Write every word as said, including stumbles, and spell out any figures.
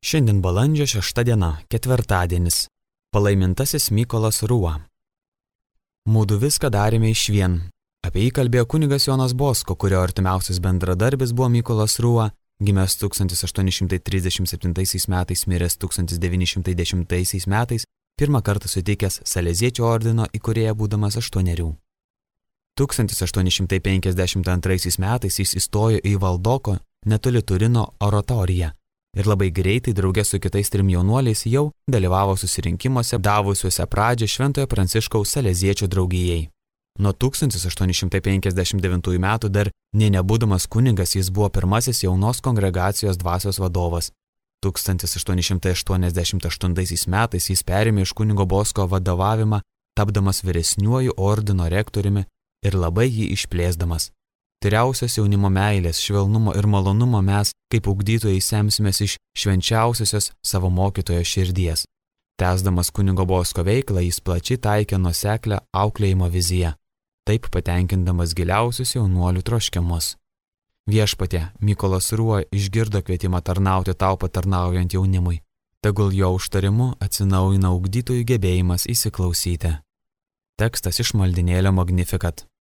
Šiandien balandžio šešta diena, ketvirtadienis. Palaimintasis Mykolas Rūa. Mūdu viską darėme išvien. Apie jį kalbėjo kunigas Jonas Bosko, kurio artimiausias bendradarbis buvo Mykolas Rūa, gimęs tūkstantis aštuoni šimtai trisdešimt septintaisiais metais, miręs tūkstantis devyni šimtai dešimtaisiais metais, pirmą kartą suteikęs Saleziečio ordino įkūrėją būdamas aštuonerių. tūkstantis aštuoni šimtai penkiasdešimt antraisiais metais jis įstojo į Valdoko netoli Turino oratoriją ir labai greitai drauge su kitais trim jaunuoliais jau dalyvavo susirinkimuose davusiuose pradžią Šventojo Pranciškaus Saleziečio draugijai. Nuo tūkstantis aštuoni šimtai penkiasdešimt devintųjų metų dar nė nebūdamas kunigas jis buvo pirmasis jaunos kongregacijos dvasios vadovas. tūkstantis aštuoni šimtai aštuoniasdešimt aštuntaisiais metais jis perėmė iš kunigo Bosko vadovavimą, tapdamas vyresniuoju ordino rektoriumi ir labai jį išplėsdamas. Tyriausios jaunimo meilės, švelnumo ir malonumo mes, kaip ugdytojai, semsimės iš švenčiausiosios savo mokytojo širdies. Tęsdamas kunigo Bosko veiklą, jis plačiai taikė nuoseklią auklėjimo viziją, taip patenkindamas giliausius jaunuolių troškimus. Viešpatie, Mykolas Rūa išgirdo kvietimą tarnauti tau patarnaujant jaunimui. Tegul jo užtarimu atsinaujina ugdytojų gebėjimas įsiklausyti. Tekstas iš maldynėlio Magnificat.